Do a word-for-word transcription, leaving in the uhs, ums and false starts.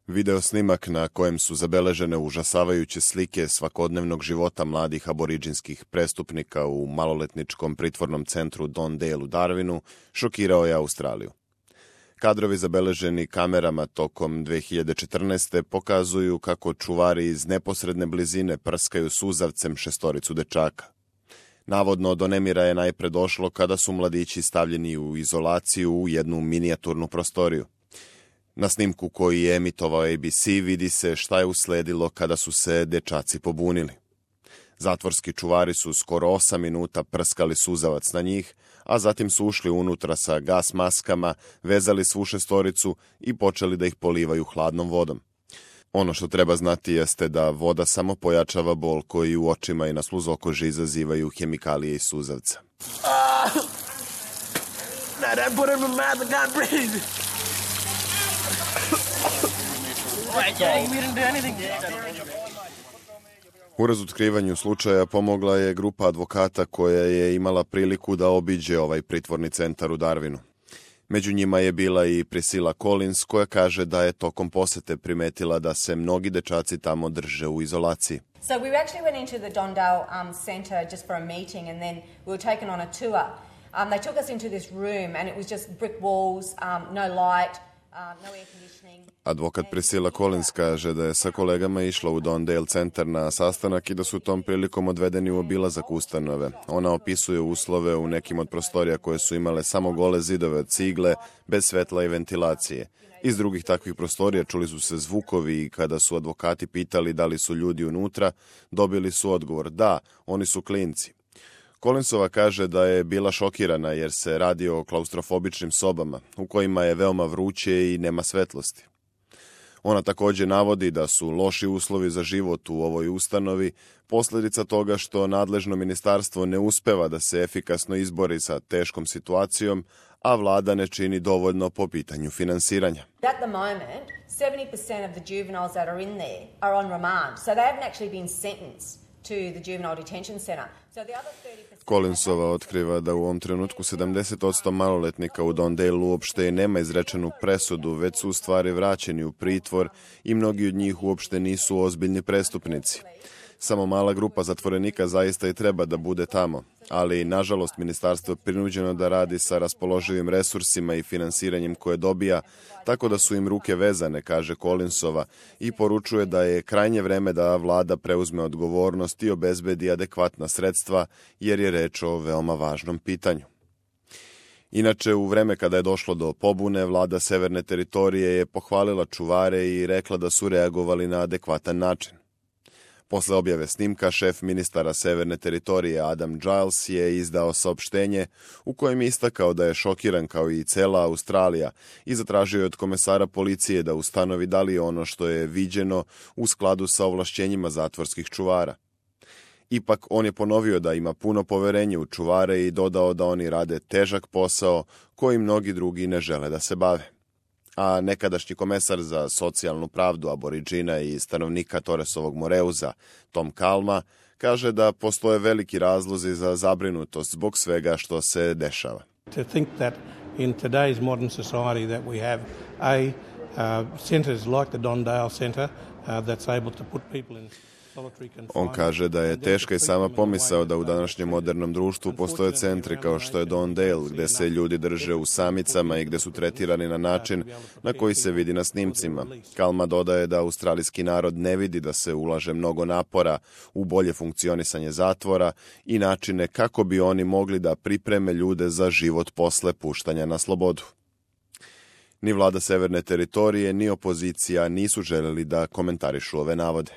Video snimak na kojem su zabeležene užasavajuće slike svakodnevnog života mladih aboriđinskih prestupnika u maloletničkom pritvornom centru Don Dale u Darwinu šokirao je Australiju. Kadrovi zabeleženi kamerama tokom dve hiljade četrnaeste. pokazuju kako čuvari iz neposredne blizine prskaju suzavcem šestoricu dečaka. Navodno, do nemira je najpre došlo kada su mladići stavljeni u izolaciju u jednu minijaturnu prostoriju. Na snimku koji je emitovao A B C vidi se šta je usledilo kada su se dečaci pobunili. Zatvorski čuvari su skoro osam minuta prskali suzavac na njih, a zatim su ušli unutra sa gas maskama, vezali svu šestoricu i počeli da ih polivaju hladnom vodom. Ono što treba znati jeste da voda samo pojačava bol koji u očima i na sluzokoži izazivaju hemikalije iz suzavca. U razotkrivanju slučaja pomogla je grupa advokata koja je imala priliku da obiđe ovaj pritvorni centar u Darwinu. Među njima je bila i Priscilla Collins, koja kaže da je tokom posete primetila da se mnogi dečaci tamo drže u izolaciji. So we actually went into the Don Dale um, Centre just for a meeting, and then we were taken on a tour. Um, they took us into this room and it was just brick walls, um, no light, um, no air conditioning. Advokat Priscilla Collins kaže da je sa kolegama išla u Don Dale centar na sastanak i da su tom prilikom odvedeni u obilazak ustanove. Ona opisuje uslove u nekim od prostorija koje su imale samo gole zidove od cigle, bez svetla i ventilacije. Iz drugih takvih prostorija čuli su se zvukovi i kada su advokati pitali da li su ljudi unutra, dobili su odgovor da, oni su klinci. Collinsova kaže da je bila šokirana jer se radi o klaustrofobičnim sobama u kojima je veoma vruće i nema svetlosti. Ona također navodi da su loši uslovi za život u ovoj ustanovi posljedica toga što nadležno ministarstvo ne uspeva da se efikasno izbori sa teškom situacijom, a vlada ne čini dovoljno po pitanju finansiranja. At the moment, seventy percent of the juveniles that are in there are on remand, so they haven't actually been sentenced to the juvenile detention center. So the other thirty percent Collinsova otkriva da u ovom trenutku sedamdeset posto maloletnika u Don Dale uopšte nema izrečenu presudu, već su u stvari vraćeni u pritvor i mnogi od njih uopšte nisu ozbiljni prestupnici. Samo mala grupa zatvorenika zaista i treba da bude tamo, ali nažalost ministarstvo je prinuđeno da radi sa raspoloživim resursima i finansiranjem koje dobija, tako da su im ruke vezane, kaže Collinsova, i poručuje da je krajnje vreme da vlada preuzme odgovornost i obezbedi adekvatna sredstva, jer je reč o veoma važnom pitanju. Inače, u vreme kada je došlo do pobune, vlada Severne teritorije je pohvalila čuvare i rekla da su reagovali na adekvatan način. Posle objave snimka, šef ministara Severne teritorije Adam Giles je izdao saopštenje u kojem je istakao da je šokiran kao i cela Australija i zatražio je od komesara policije da ustanovi da li je ono što je viđeno u skladu sa ovlašćenjima zatvorskih čuvara. Ipak, on je ponovio da ima puno poverenje u čuvare i dodao da oni rade težak posao koji mnogi drugi ne žele da se bave. A nekadašnji komesar za socijalnu pravdu aboriđina i stanovnika Torresovog Moreuza, Tom Kalma, kaže da postoje veliki razlozi za zabrinutost zbog svega što se dešava. To think that in today's modern society that we have a uh, centers like the Don Dale Centre uh, that's able to put people in. On kaže da je teška i sama pomisao da u današnjem modernom društvu postoje centri kao što je Don Dale, gde se ljudi drže u samicama i gde su tretirani na način na koji se vidi na snimcima. Kalma dodaje da australijski narod ne vidi da se ulaže mnogo napora u bolje funkcionisanje zatvora i načine kako bi oni mogli da pripreme ljude za život posle puštanja na slobodu. Ni vlada Severne teritorije, ni opozicija nisu želeli da komentarišu ove navode.